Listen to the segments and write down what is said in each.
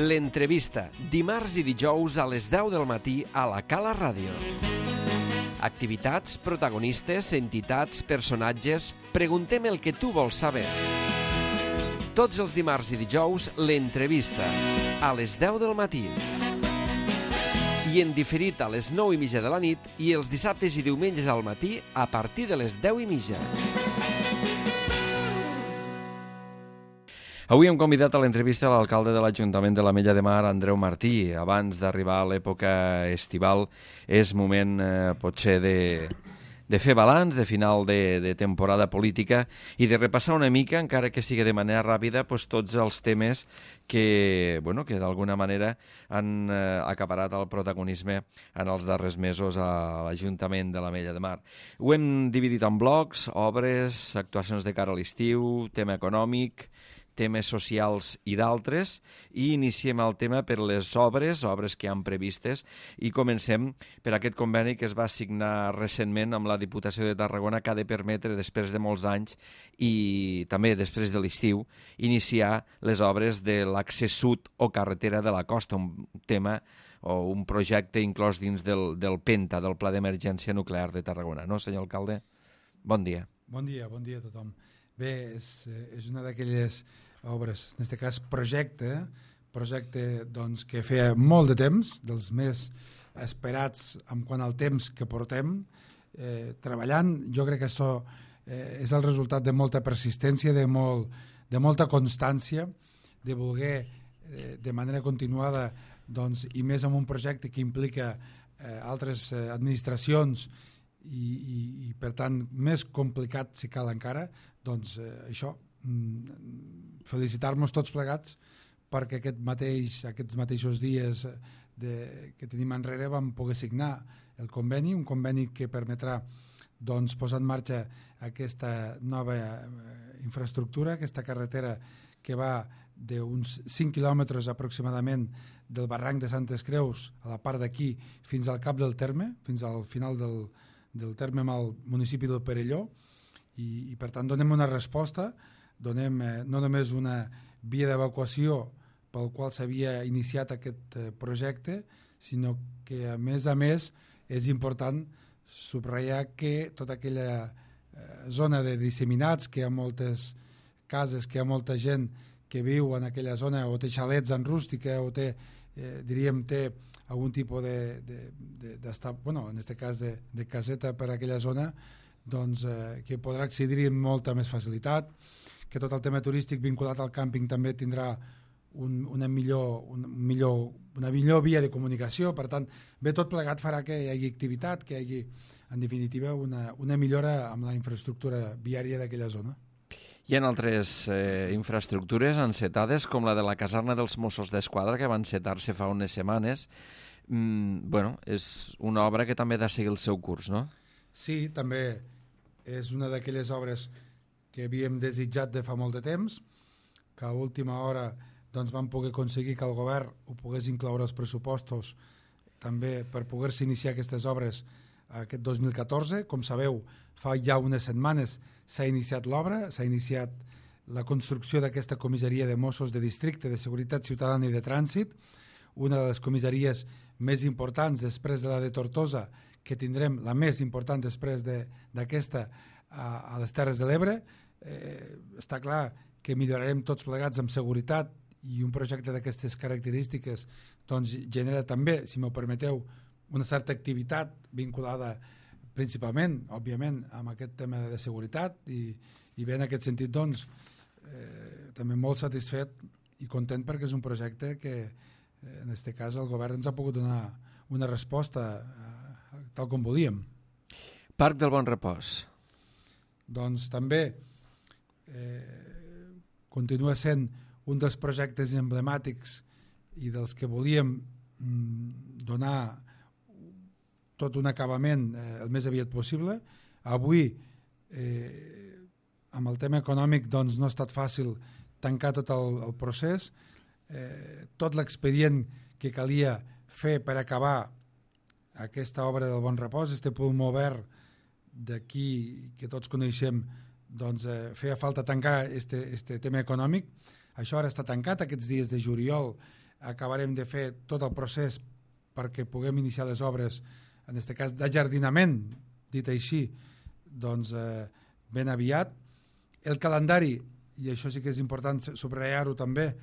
L'entrevista, dimarts i dijous a les 10 del matí a la Cala Ràdio. Activitats, protagonistes, entitats, personatges... Preguntem el que tu vols saber. Tots els dimarts i dijous, l'entrevista, a les 10 del matí. I en diferit a les 9:30 de la nit i els dissabtes i diumenges al matí a partir de les 10:30. Avui hem convidat a l'entrevista a l'alcalde de l'Ajuntament de l'Ametlla de Mar, Andreu Martí. Abans d'arribar a l'època estival és moment potser de fer balanç, de final de temporada política i de repassar una mica, encara que sigui de manera ràpida, tots els temes que d'alguna manera han acaparat el protagonisme en els darrers mesos a l'Ajuntament de l'Ametlla de Mar. Ho hem dividit en blocs, obres, actuacions de cara a l'estiu, tema econòmic, temes socials i d'altres, i iniciem el tema per les obres que hi han previstes, i comencem per aquest conveni que es va signar recentment amb la Diputació de Tarragona, que ha de permetre, després de molts anys i també després de l'estiu, iniciar les obres de l'accés sud o carretera de la costa, un tema o un projecte inclòs dins del PENTA, del Pla d'Emergència Nuclear de Tarragona. No, senyor alcalde? Bon dia. Bon dia a tothom. Bé, és una d'aquelles obres, en aquest cas projecte doncs, que feia molt de temps, dels més esperats en quant al temps que portem treballant. Jo crec que això és el resultat de molta persistència, de molta constància, de voler de manera continuada, doncs, i més en un projecte que implica altres administracions i per tant més complicat si cal encara, doncs això, felicitar-nos tots plegats perquè aquests mateixos dies que tenim enrere vam poder signar el conveni, un conveni que permetrà doncs, posar en marxa aquesta nova infraestructura, aquesta carretera que va d'uns 5 quilòmetres aproximadament del barranc de Santes Creus a la part d'aquí fins al cap del terme, fins al final del terme amb el municipi del Perelló, i per tant donem una resposta, donem no només una via d'evacuació pel qual s'havia iniciat aquest projecte, sinó que a més és important subratllar que tota aquella zona de disseminats, que hi ha moltes cases, que hi ha molta gent que viu en aquella zona o té xalets en rústica o té algun tipus d'estar, en aquest cas de caseta per a aquella zona, doncs, que podrà accedir amb molta més facilitat, que tot el tema turístic vinculat al càmping també tindrà una millor via de comunicació. Per tant, tot plegat farà que hi hagi activitat, que hi hagi, en definitiva, una millora amb la infraestructura viària d'aquella zona. Hi ha altres infraestructures encetades, com la de la caserna dels Mossos d'Esquadra, que va encetar-se fa unes setmanes. És una obra que també ha de seguir el seu curs, no? Sí, també és una d'aquelles obres que havíem desitjat de fa molt de temps, que a última hora doncs, vam poder aconseguir que el govern ho pogués incloure als pressupostos també per poder-se iniciar aquestes obres aquest 2014. Com sabeu, fa ja unes setmanes s'ha iniciat l'obra, s'ha iniciat la construcció d'aquesta comissaria de Mossos de Districte de Seguretat Ciutadana i de Trànsit, una de les comissaries més importants després de la de Tortosa, que tindrem la més important després d'aquesta a les Terres de l'Ebre. Està clar que millorarem tots plegats amb seguretat, i un projecte d'aquestes característiques doncs, genera també, si m'ho permeteu, una certa activitat vinculada principalment, òbviament, amb aquest tema de seguretat, i bé, en aquest sentit, doncs, també molt satisfet i content perquè és un projecte que, en aquest cas, el govern ens ha pogut donar una resposta tal com volíem. Parc del Bon Repòs. Doncs també continua sent un dels projectes emblemàtics i dels que volíem donar tot un acabament el més aviat possible. Avui, amb el tema econòmic, doncs, no ha estat fàcil tancar tot el procés. Tot l'expedient que calia fer per acabar aquesta obra del Bon Repòs, este pulmó verd d'aquí que tots coneixem, doncs feia falta tancar este tema econòmic. Això ara està tancat, aquests dies de juliol acabarem de fer tot el procés perquè puguem iniciar les obres, en aquest cas d'ajardinament, dit així, doncs ben aviat. El calendari, i això sí que és important subratllar-ho també,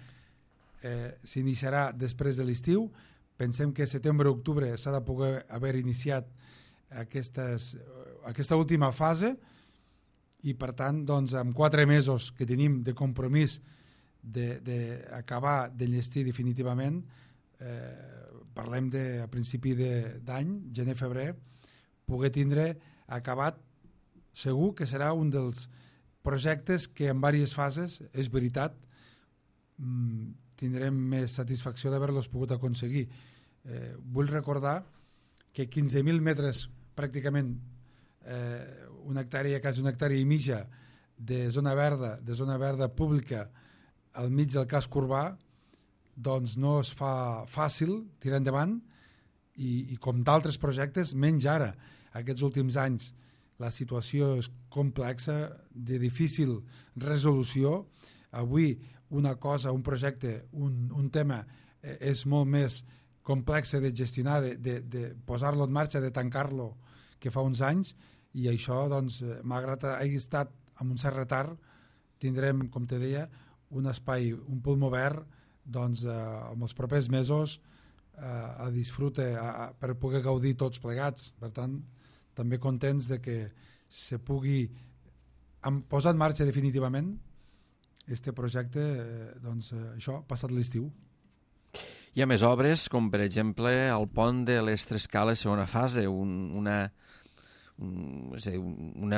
s'iniciarà després de l'estiu. Pensem que setembre-octubre s'ha de poder haver iniciat aquesta última fase i per tant doncs, amb 4 mesos que tenim de compromís d'acabar d'enllestir definitivament, parlem a principi d'any, gener-febrer, poder tindre acabat. Segur que serà un dels projectes que en diverses fases, és veritat, tindrem més satisfacció d'haver-los pogut aconseguir. Vull recordar que 15.000 metres pràcticament, una hectàrea, quasi una hectàrea i mitja de zona verda pública al mig del casc urbà, doncs no es fa fàcil tirar endavant i com d'altres projectes, menys ara. Aquests últims anys la situació és complexa, de difícil resolució. Avui una cosa, un projecte, un tema és molt més complex de gestionar, de posar-lo en marxa, de tancar-lo, que fa uns anys, i això, doncs, malgrat hagi estat amb un cert retard, tindrem, com te deia, un espai, un pulmó verd, doncs, en els propers mesos a disfrute, per poder gaudir tots plegats. Per tant, també contents de que se pugui posar en marxa definitivament este projecte, doncs, això, passat l'estiu. Hi ha més obres, com per exemple el pont de les Tres Cales, segona fase, una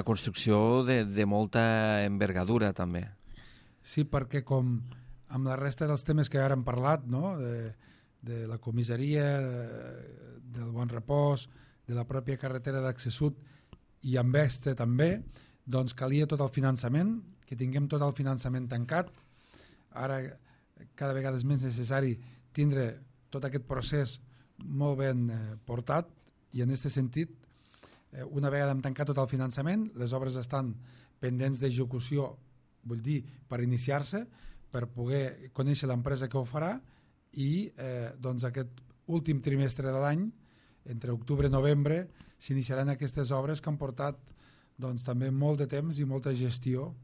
construcció de molta envergadura també. Sí, perquè com amb la resta dels temes que ara hem parlat, no? de la comissaria, del Bon Repòs, de la pròpia carretera d'accés sud i amb este també, doncs calia tot el finançament, que tinguem tot el finançament tancat. Ara cada vegada és més necessari tindre tot aquest procés molt ben portat i en aquest sentit, una vegada hem tancat tot el finançament, les obres estan pendents d'execució, vull dir, per iniciar-se, per poder conèixer l'empresa que ho farà i doncs aquest últim trimestre de l'any, entre octubre i novembre, s'iniciaran aquestes obres que han portat doncs, també molt de temps i molta gestió,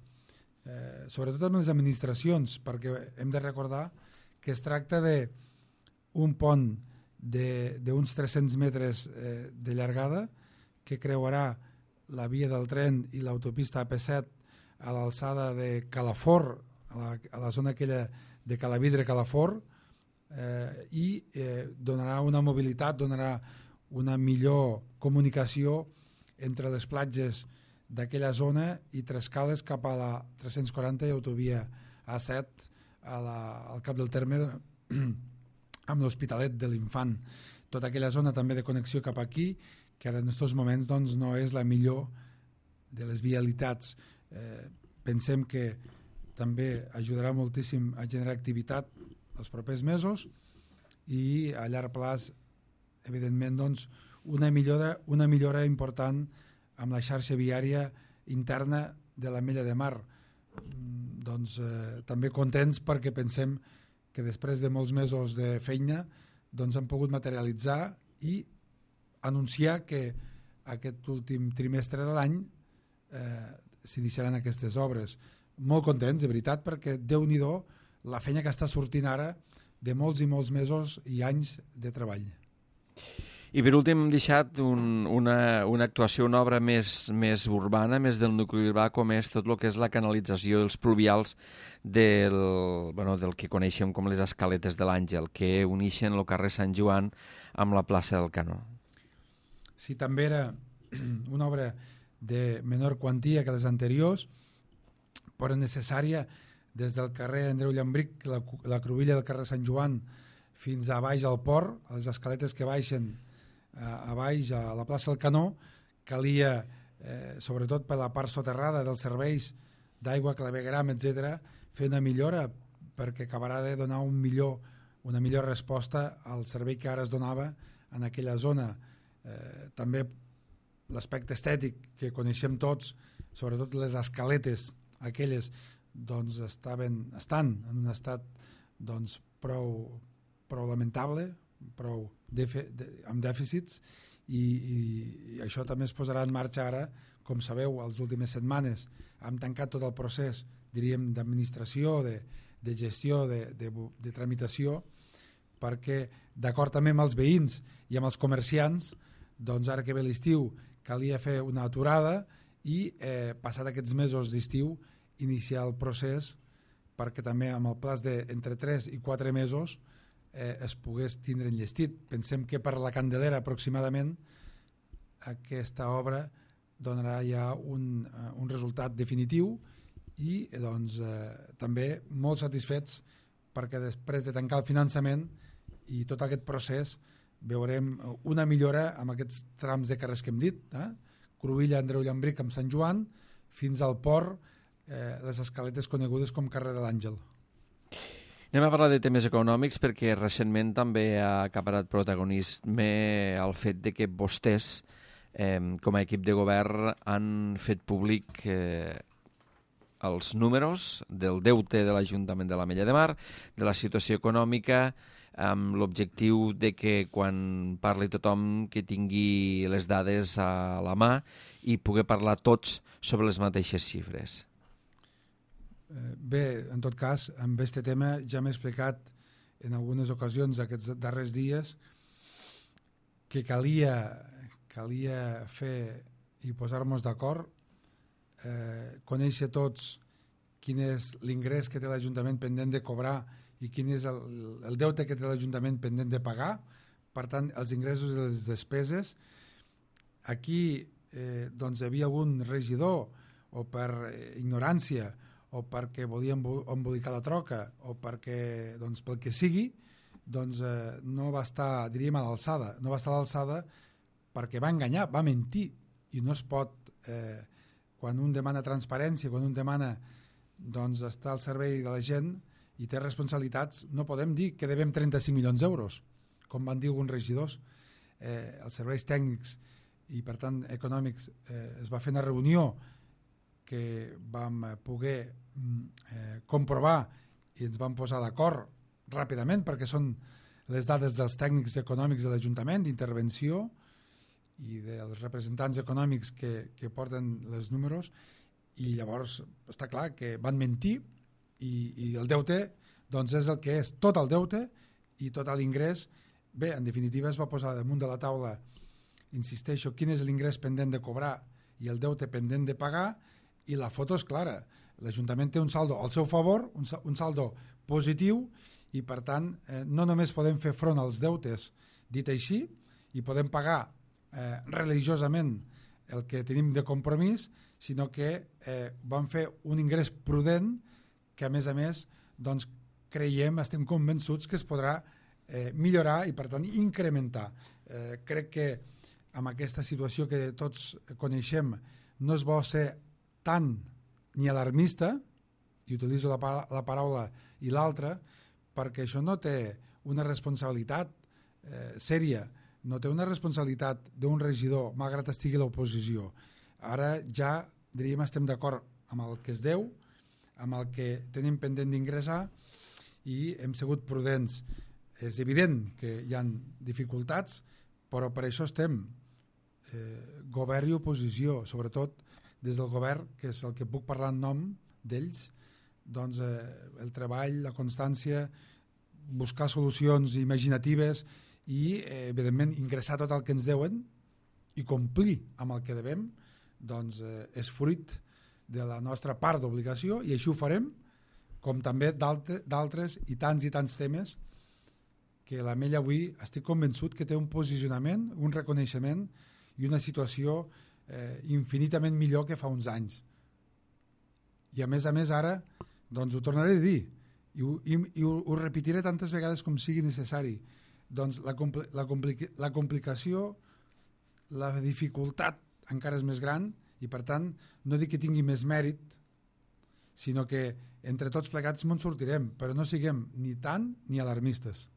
sobretot amb les administracions, perquè hem de recordar que es tracta d'un pont d'uns 300 metres de llargada que creuarà la via del tren i l'autopista AP7 a l'alçada de Calafort, a la zona aquella de Calavidre-Calafort, i donarà una mobilitat, donarà una millor comunicació entre les platges d'aquella zona i Trescales cap a la 340 i autovia A7 al cap del terme amb l'Hospitalet de l'Infant. Tota aquella zona també de connexió cap aquí, que ara en aquests moments doncs, no és la millor de les vialitats. Pensem que també ajudarà moltíssim a generar activitat els propers mesos i a llarg plaç, evidentment, doncs, una millora important amb la xarxa viària interna de l'Ametlla de Mar. Doncs, també contents perquè pensem que després de molts mesos de feina doncs, han pogut materialitzar i anunciar que aquest últim trimestre de l'any s'iniciaran aquestes obres. Molt contents, de veritat, perquè Déu-n'hi-do la feina que està sortint ara de molts i molts mesos i anys de treball. I per últim hem deixat una actuació, una obra més urbana, més del nucli urbà, com és tot el que és la canalització dels pluvials del que coneixem com les escaletes de l'Àngel, que uneixen el carrer Sant Joan amb la plaça del Canó. Sí, també era una obra de menor quantia que les anteriors, però necessària des del carrer Andreu Llambric, la cruïlla del carrer Sant Joan, fins a baix al port, a les escaletes que baixen a baix a la plaça del Canó. Calia, sobretot per la part soterrada dels serveis d'aigua, clavegueram, etc., fer una millora perquè acabarà de donar una millor resposta al servei que ara es donava en aquella zona. També l'aspecte estètic que coneixem tots, sobretot les escaletes aquelles, doncs estan en un estat doncs, prou prou lamentable, prou amb dèficits, i això també es posarà en marxa ara. Com sabeu, les últimes setmanes hem tancat tot el procés, diríem, d'administració, de gestió, de tramitació, perquè, d'acord també amb els veïns i amb els comerciants, doncs ara que ve l'estiu calia fer una aturada i, passat aquests mesos d'estiu, iniciar el procés perquè també amb el plaç d'entre 3 i 4 mesos es pogués tindre enllestit. Pensem que per la Candelera aproximadament aquesta obra donarà ja un resultat definitiu i doncs, també molt satisfets perquè després de tancar el finançament i tot aquest procés veurem una millora amb aquests trams de carrers que hem dit, Cruïlla, Andreu Llambric amb Sant Joan, fins al port, les escaletes conegudes com carrer de l'Àngel. Anem a parlar de temes econòmics perquè recentment també ha acaparat protagonisme el fet de que vostès, com a equip de govern, han fet públic els números del deute de l'Ajuntament de l'Ametlla de Mar, de la situació econòmica, amb l'objectiu de que quan parli tothom que tingui les dades a la mà i poder parlar tots sobre les mateixes xifres. Bé, en tot cas, amb aquest tema ja m'he explicat en algunes ocasions aquests darrers dies que calia fer i posar-nos d'acord, conèixer tots quin és l'ingrés que té l'Ajuntament pendent de cobrar i quin és el deute que té l'Ajuntament pendent de pagar, per tant, els ingressos i les despeses. Aquí doncs hi havia algun regidor, o per ignorància, o perquè volia embolicar la troca, o perquè, doncs, pel que sigui, doncs no va estar, diríem, a l'alçada. No va estar a l'alçada perquè va enganyar, va mentir, i no es pot, quan un demana transparència, quan un demana doncs, estar al servei de la gent i té responsabilitats, no podem dir que devem 35 milions d'euros, com van dir alguns regidors. Els serveis tècnics i, per tant, econòmics, es va fer una reunió que vam poder comprovar i ens vam posar d'acord ràpidament perquè són les dades dels tècnics econòmics de l'Ajuntament, d'intervenció i dels representants econòmics que porten els números, i llavors està clar que van mentir i el deute doncs és el que és, tot el deute i tot l'ingrés. Bé, en definitiva es va posar damunt de la taula, insisteixo, quin és l'ingrés pendent de cobrar i el deute pendent de pagar, i la foto és clara. L'Ajuntament té un saldo al seu favor, un saldo positiu, i per tant no només podem fer front als deutes dit així i podem pagar religiosament el que tenim de compromís, sinó que vam fer un ingrés prudent que a més doncs, creiem, estem convençuts que es podrà millorar i per tant incrementar. Crec que amb aquesta situació que tots coneixem no es vol ser tant ni alarmista, i utilitzo la paraula i l'altra, perquè això no té una responsabilitat sèria, no té una responsabilitat d'un regidor, malgrat estigui a l'oposició. Ara ja, diríem, estem d'acord amb el que es deu, amb el que tenim pendent d'ingressar, i hem sigut prudents. És evident que hi ha dificultats, però per això estem, govern i oposició, sobretot des del govern, que és el que puc parlar en nom d'ells, doncs el treball, la constància, buscar solucions imaginatives i, evidentment, ingressar tot el que ens deuen i complir amb el que devem, doncs és fruit de la nostra part d'obligació, i així ho farem, com també d'altres i tants temes que l'Ametlla avui estic convençut que té un posicionament, un reconeixement i una situació infinitament millor que fa uns anys. I a més ara, doncs ho tornaré a dir i ho repetiré tantes vegades com sigui necessari. Doncs la complicació, la dificultat encara és més gran, i per tant no dic que tingui més mèrit, sinó que entre tots plegats me'n sortirem, però no siguem ni tant ni alarmistes.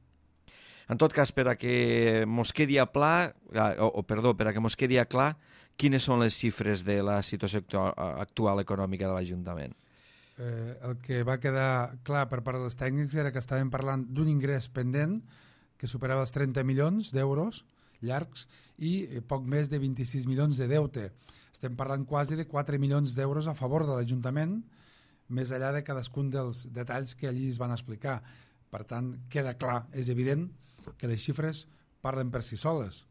En tot cas, per a que mos quedi clar, quines són les xifres de la situació actual econòmica de l'Ajuntament? el que va quedar clar per part dels tècnics era que estàvem parlant d'un ingrés pendent que superava els 30 milions d'euros llargs i poc més de 26 milions de deute. Estem parlant quasi de 4 milions d'euros a favor de l'Ajuntament, més enllà de cadascun dels detalls que allí es van explicar. Per tant, queda clar, és evident que les xifres parlen per si soles.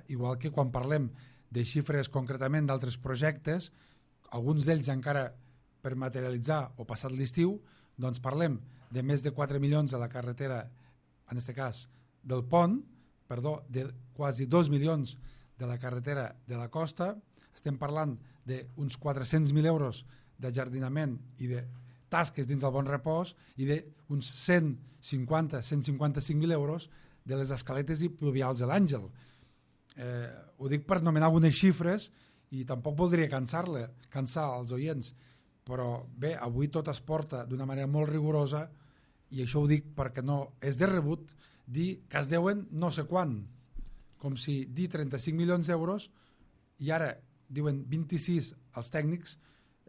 Igual que quan parlem de xifres concretament d'altres projectes, alguns d'ells encara per materialitzar o passat l'estiu, doncs parlem de més de 4 milions a la carretera, en aquest cas del pont, de quasi 2 milions de la carretera de la costa, estem parlant d'uns 400.000 euros de jardinament i de tasques dins del Bon Repòs i d'uns 150-155.000 euros de les escaletes i pluvials de l'Àngel. Ho dic per nomenar algunes xifres i tampoc voldria cansar els oients, però bé, avui tot es porta d'una manera molt rigorosa i això ho dic perquè no és de rebut dir que es deuen no sé quan, com si dir 35 milions d'euros i ara diuen 26 els tècnics,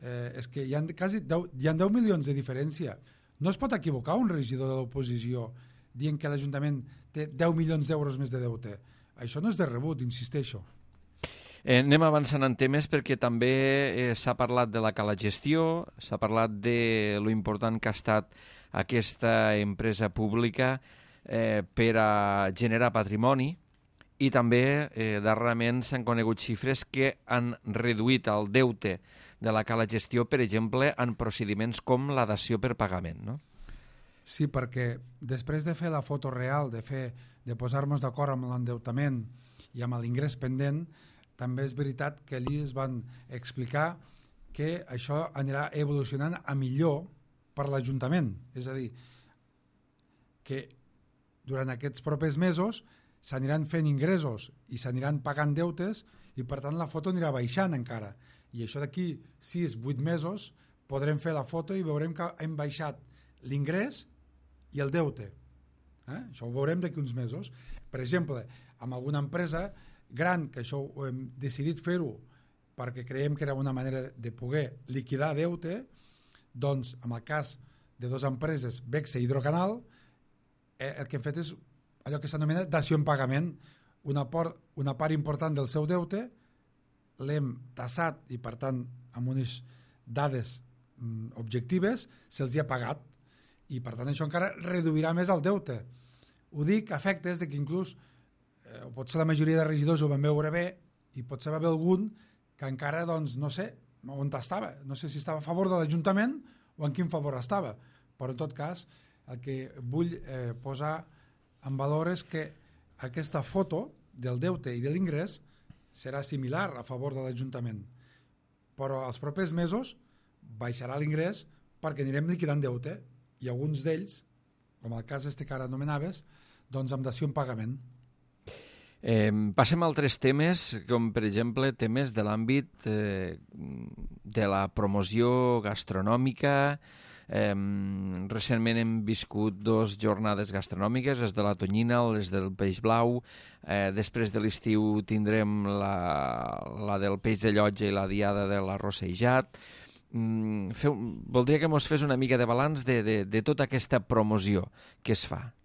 és que hi ha 10 milions de diferència. No es pot equivocar un regidor de l'oposició dient que l'Ajuntament té 10 milions d'euros més de deute. Això no és de rebut, insisteixo. Anem avançant en temes perquè també s'ha parlat de la calagestió, s'ha parlat de lo important que ha estat aquesta empresa pública per a generar patrimoni i també darrerament s'han conegut xifres que han reduït el deute de la calagestió, per exemple, en procediments com la dació per pagament, no? Sí, perquè després de fer la foto real, de posar-nos d'acord amb l'endeutament i amb l'ingrés pendent, també és veritat que allí es van explicar que això anirà evolucionant a millor per l'Ajuntament. És a dir, que durant aquests propers mesos s'aniran fent ingressos i s'aniran pagant deutes i per tant la foto anirà baixant encara. I això d'aquí 6-8 mesos podrem fer la foto i veurem que hem baixat l'ingrés i el deute. Això ho veurem d'aquí uns mesos. Per exemple, amb alguna empresa gran, que això ho hem decidit fer-ho perquè creiem que era una manera de poder liquidar deute, doncs en el cas de dues empreses, Bexe i Hidrocanal, el que hem fet és allò que s'anomena dació en pagament. Una part important del seu deute l'hem tassat i per tant amb unes dades objectives se'ls hi ha pagat i per tant això encara reduirà més el deute. Ho dic a efectes de que inclús potser la majoria de regidors ho van veure bé i potser va haver algun que encara, doncs, no sé on estava, no sé si estava a favor de l'Ajuntament o en quin favor estava, però en tot cas el que vull posar en valor és que aquesta foto del deute i de l'ingrés serà similar a favor de l'Ajuntament, però els propers mesos baixarà l'ingrés perquè anirem liquidant deute i alguns d'ells, com el cas que ara anomenaves, doncs amb dació en pagament. Passem a altres temes, com per exemple temes de l'àmbit de la promoció gastronòmica. Recentment hem viscut 2 jornades gastronòmiques, les de la Tonyina, les del Peix Blau. Després de l'estiu tindrem la del Peix de Llotja i la diada de l'arrossejat. Voldria que mos fes una mica de balanç de tota aquesta promoció que es fa.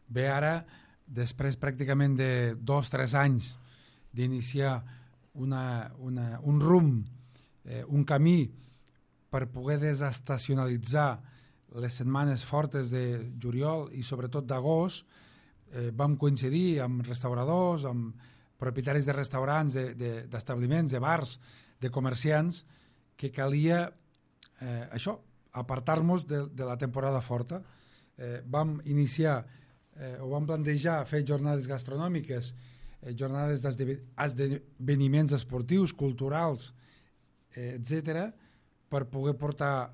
Bé, ara, després pràcticament de 2-3 anys d'iniciar un rumb, un camí per poder desestacionalitzar les setmanes fortes de juliol i sobretot d'agost, vam coincidir amb restauradors, amb propietaris de restaurants, d'establiments, de bars, de comerciants, que calia això, apartar-nos de la temporada forta. Vam iniciar o vam plantejar fer jornades gastronòmiques, jornades d'esdeveniments esportius, culturals, etc., per poder portar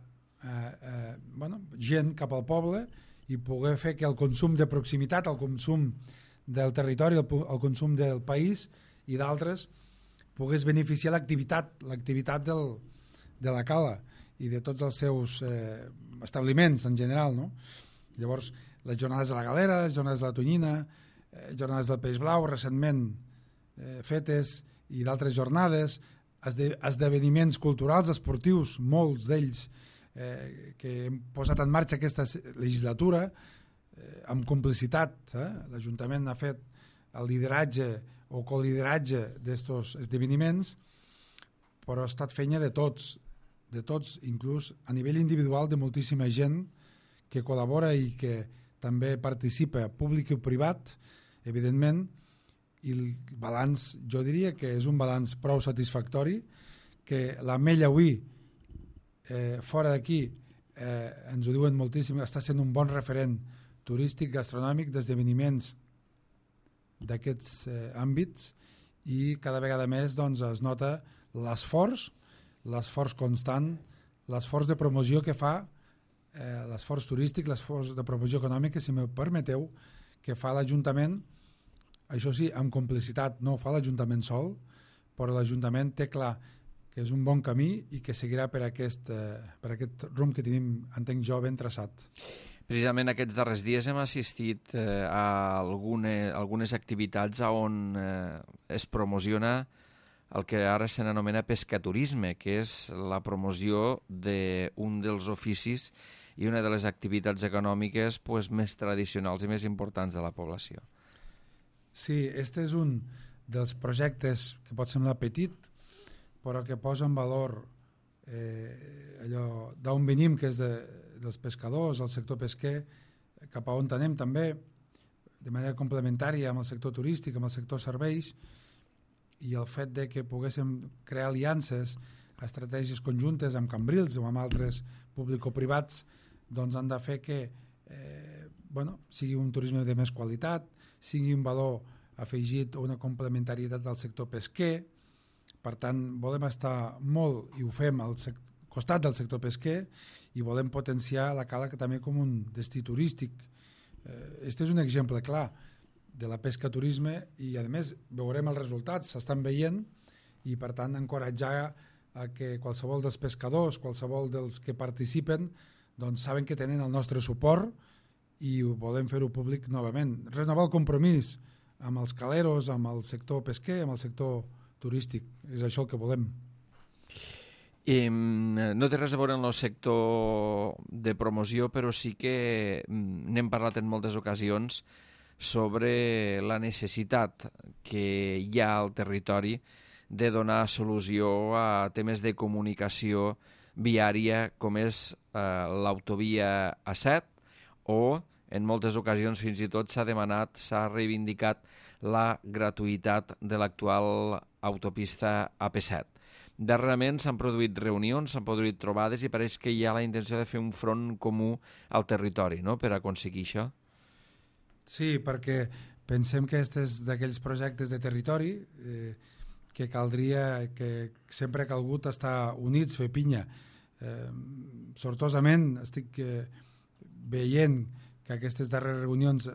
gent cap al poble i poder fer que el consum de proximitat, el consum del territori, el consum del país i d'altres pogués beneficiar l'activitat de la cala i de tots els seus establiments en general, no? Llavors, les jornades de la Galera, les jornades de la Tonyina, jornades del Peix Blau, recentment fetes, i d'altres jornades, esdeveniments culturals, esportius, molts d'ells que hem posat en marxa aquesta legislatura amb complicitat. L'Ajuntament ha fet el lideratge o colideratge d'estos esdeveniments, però ha estat feina de tots, inclús a nivell individual de moltíssima gent que col·labora i que també participa, públic i privat, evidentment, i el balanç, jo diria que és un balanç prou satisfactori, que l'Ametlla avui, fora d'aquí, ens ho diuen moltíssim, està sent un bon referent turístic, gastronòmic, d'esdeveniments d'aquests àmbits, i cada vegada més doncs, es nota l'esforç constant, l'esforç de promoció que fa, l'esforç turístic, l'esforç de promoció econòmica, si me permeteu, que fa l'Ajuntament, això sí, amb complicitat, no ho fa l'Ajuntament sol, però l'Ajuntament té clar que és un bon camí i que seguirà per aquest rumb que tenim, entenc jo, ben traçat. Precisament aquests darrers dies hem assistit a algunes activitats on es promociona el que ara se n'anomena pescaturisme, que és la promoció d'un dels oficis i una de les activitats econòmiques més tradicionals i més importants de la població. Sí, este és un dels projectes que pot semblar petit, però que posa en valor allò d'on venim, que és dels pescadors, el sector pesquer, cap a on anem també, de manera complementària amb el sector turístic, amb el sector serveis, i el fet de que poguéssim crear aliances, estratègies conjuntes amb Cambrils o amb altres público-privats, doncs han de fer que sigui un turisme de més qualitat, sigui un valor afegit o una complementarietat del sector pesquer. Per tant, volem estar molt, i ho fem, al costat del sector pesquer, i volem potenciar la Cala també com un destí turístic. Este és un exemple clar de la pesca-turisme i, a més, veurem els resultats, s'estan veient, i, per tant, encoratjar a que qualsevol dels pescadors, qualsevol dels que participen, doncs saben que tenen el nostre suport i volem fer-ho públic novament. Renovar el compromís amb els caleros, amb el sector pesquer, amb el sector turístic. És això el que volem. No té res a veure amb el sector de promoció, però sí que n'hem parlat en moltes ocasions sobre la necessitat que hi ha al territori de donar solució a temes de comunicació viària com és l'autovia A7, o en moltes ocasions fins i tot s'ha demanat, s'ha reivindicat la gratuïtat de l'actual autopista AP7. Darrerament s'han produït reunions, s'han produït trobades i pareix que hi ha la intenció de fer un front comú al territori, no?, per aconseguir això. Sí, perquè pensem que aquest és d'aquells projectes de territori que caldria, que sempre ha calgut estar units, fer pinya. Sortosament estic veient que aquestes darreres reunions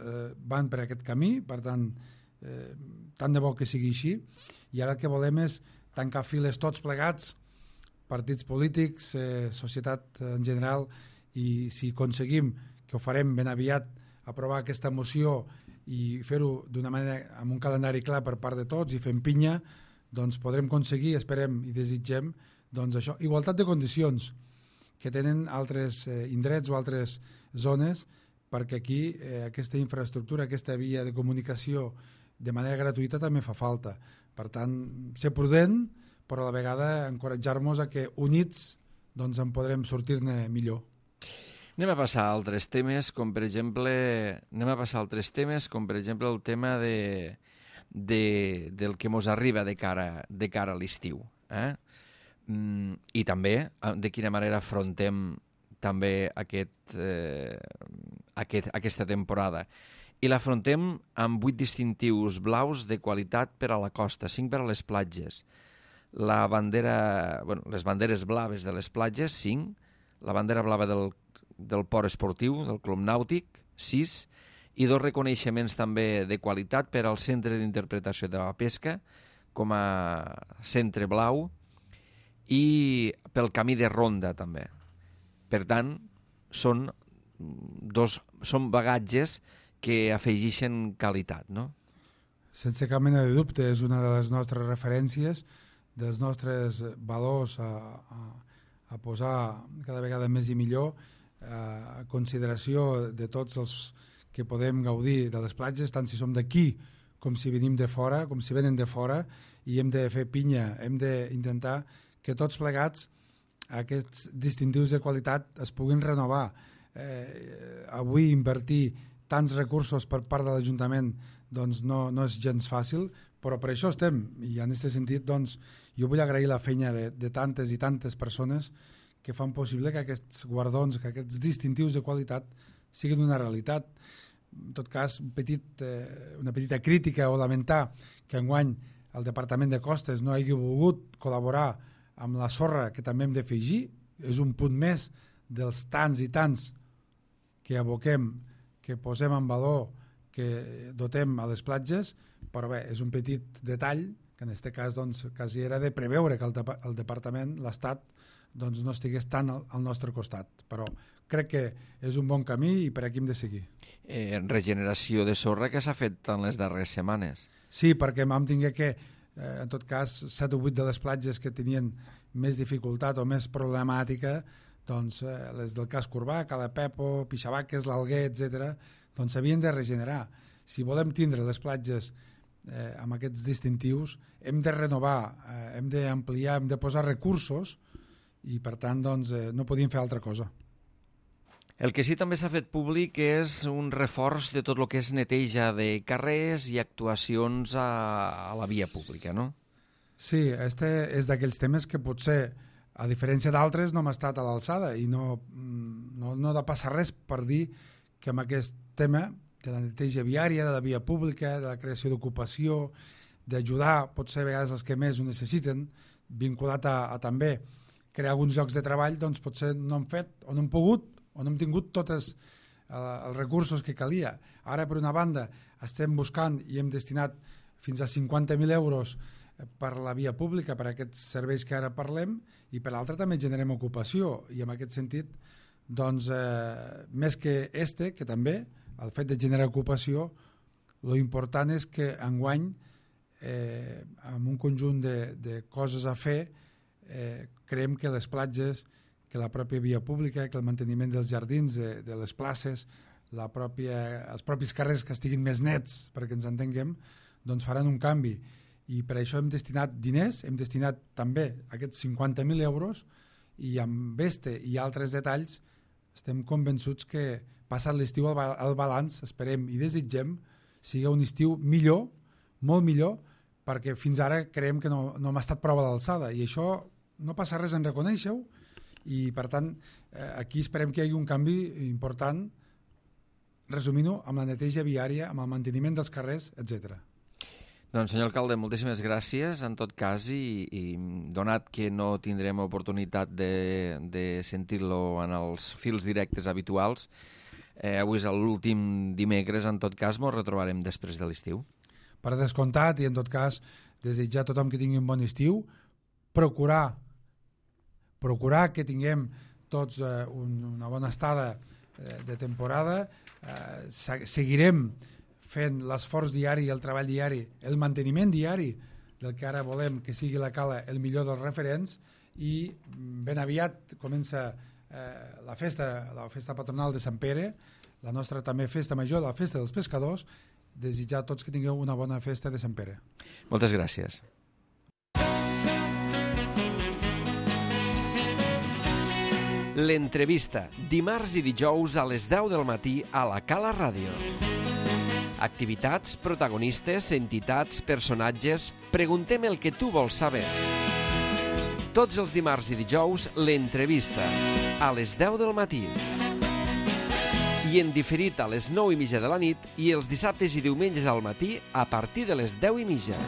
van per aquest camí, per tant, tant de bo que sigui així, i ara el que volem és tancar files tots plegats, partits polítics, societat en general, i si aconseguim, que ho farem ben aviat, aprovar aquesta moció i fer-ho d'una manera, amb un calendari clar per part de tots i fent pinya, doncs podrem aconseguir, esperem i desitgem, doncs això, igualtat de condicions que tenen altres indrets o altres zones, perquè aquí aquesta infraestructura, aquesta via de comunicació de manera gratuïta també fa falta. Per tant, ser prudent, però a la vegada encoratjar-nos a que units doncs en podrem sortir-ne millor. Anem a passar a altres temes, com per exemple el tema del que mos arriba de cara a l'estiu. I també de quina manera afrontem també aquesta temporada. I l'afrontem amb 8 distintius blaus de qualitat per a la costa, 5 per a les platges. Les banderes blaves de les platges, 5. La bandera blava del port esportiu, del club nàutic, 6. I 2 reconeixements també de qualitat per al Centre d'Interpretació de la Pesca, com a Centre Blau, i pel Camí de Ronda també. Per tant, són bagatges que afegeixen qualitat, no? Sense cap mena de dubte, és una de les nostres referències, dels nostres valors a posar cada vegada més i millor a consideració de tots els que podem gaudir de les platges, tant si som d'aquí com si venim de fora, com si venen de fora, i hem de fer pinya, hem d'intentar que tots plegats aquests distintius de qualitat es puguin renovar. Avui invertir tants recursos per part de l'Ajuntament doncs no és gens fàcil, però per això estem, i en aquest sentit doncs, jo vull agrair la feina de tantes i tantes persones que fan possible que aquests guardons, que aquests distintius de qualitat siguin una realitat. En tot cas, una petita crítica o lamentar que enguany el Departament de Costes no hagi volgut col·laborar amb la sorra, que també hem d'afegir, és un punt més dels tants i tants que aboquem, que posem en valor, que dotem a les platges, però bé, és un petit detall que en aquest cas doncs, quasi era de preveure que el Departament, l'Estat, doncs, no estigués tant al nostre costat. Però crec que és un bon camí i per aquí hem de seguir. Regeneració de sorra que s'ha fet en les darreres setmanes. Sí, perquè vam tingué que, en tot cas, 7 o 8 de les platges que tenien més dificultat o més problemàtica, doncs les del casc urbà, Cala Pepo, Pixabaques, l'Alguer, etc., doncs s'havien de regenerar. Si volem tindre les platges amb aquests distintius, hem de renovar, hem d'ampliar, hem de posar recursos i, per tant, doncs, no podíem fer altra cosa. El que sí també s'ha fet públic és un reforç de tot el que és neteja de carrers i actuacions a la via pública, no? Sí, este és d'aquells temes que potser, a diferència d'altres, no hem estat a l'alçada i no ha de passar res per dir que amb aquest tema de la neteja viària, de la via pública, de la creació d'ocupació, d'ajudar, potser a vegades els que més ho necessiten, vinculat a també crear alguns llocs de treball, doncs potser no hem fet o no hem pogut o no hem tingut tots els recursos que calia. Ara, per una banda, estem buscant i hem destinat fins a 50.000 euros per la via pública, per aquests serveis que ara parlem, i per l'altra també generem ocupació, i en aquest sentit, doncs, més que que també, el fet de generar ocupació, lo important és que enguany, amb un conjunt de coses a fer, creiem que les platges, que la pròpia via pública, que el manteniment dels jardins, de les places, els propis carrers que estiguin més nets, perquè ens entenguem, doncs faran un canvi. I per això hem destinat diners, hem destinat també aquests 50.000 euros, i amb este i altres detalls estem convençuts que passat l'estiu el balanç, esperem i desitgem, sigui un estiu millor, molt millor, perquè fins ara creiem que no hem estat prou a l'alçada, i això no passa res en reconèixer-ho, i per tant aquí esperem que hi hagi un canvi important, resumint-ho, amb la neteja viària, amb el manteniment dels carrers, etc. Doncs, senyor alcalde, moltíssimes gràcies, en tot cas, i donat que no tindrem oportunitat de sentir-lo en els fils directes habituals, avui és l'últim dimecres, en tot cas, ens retrobarem després de l'estiu. Per descomptat, i en tot cas, desitjar a tothom que tingui un bon estiu, procurar que tinguem tots una bona estada de temporada, seguirem fent l'esforç diari, el treball diari, el manteniment diari del que ara volem que sigui la cala el millor dels referents, i ben aviat comença la festa patronal de Sant Pere, la nostra també festa major, la festa dels pescadors. Desitjar a tots que tingueu una bona festa de Sant Pere. Moltes gràcies. L'entrevista, dimarts i dijous a les 10 del matí a la Cala Ràdio. Activitats, protagonistes, entitats, personatges... Preguntem el que tu vols saber. Tots els dimarts i dijous, l'entrevista, a les 10 del matí. I en diferit a les 9:30 de la nit i els dissabtes i diumenges al matí a partir de les 10:30.